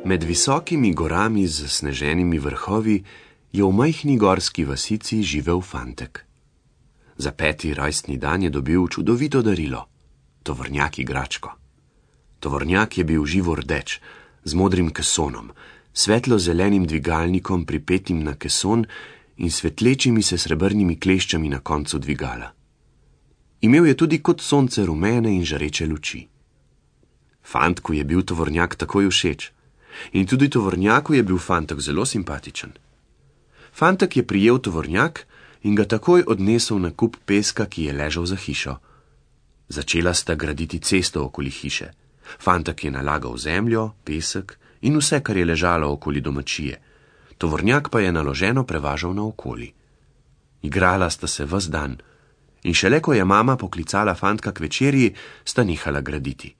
Med visokimi gorami z zasneženimi vrhovi je v majhni gorski vasici živel fantek. Za 5. rojstni dan je dobil čudovito darilo, tovornjak igračko. Tovornjak je bil živo rdeč, z modrim kesonom, svetlo-zelenim dvigalnikom pripetim na keson in svetlečimi se srebrnimi kleščami na koncu dvigala. Imel je tudi kot sonce rumene in žareče luči. Fantku je bil tovornjak takoj všeč in tudi tovornjaku je bil fantek zelo simpatičen. Fantek je prijel tovornjak in ga takoj odnesel na kup peska, ki je ležal za hišo. Začela sta graditi cesto okoli hiše. Fantek je nalagal zemljo, pesek in vse, kar je ležalo okoli domačije. Tovornjak pa je naloženo prevažal naokoli. Igrala sta se ves dan in šele ko je mama poklicala fantka k večerji, sta nehala graditi.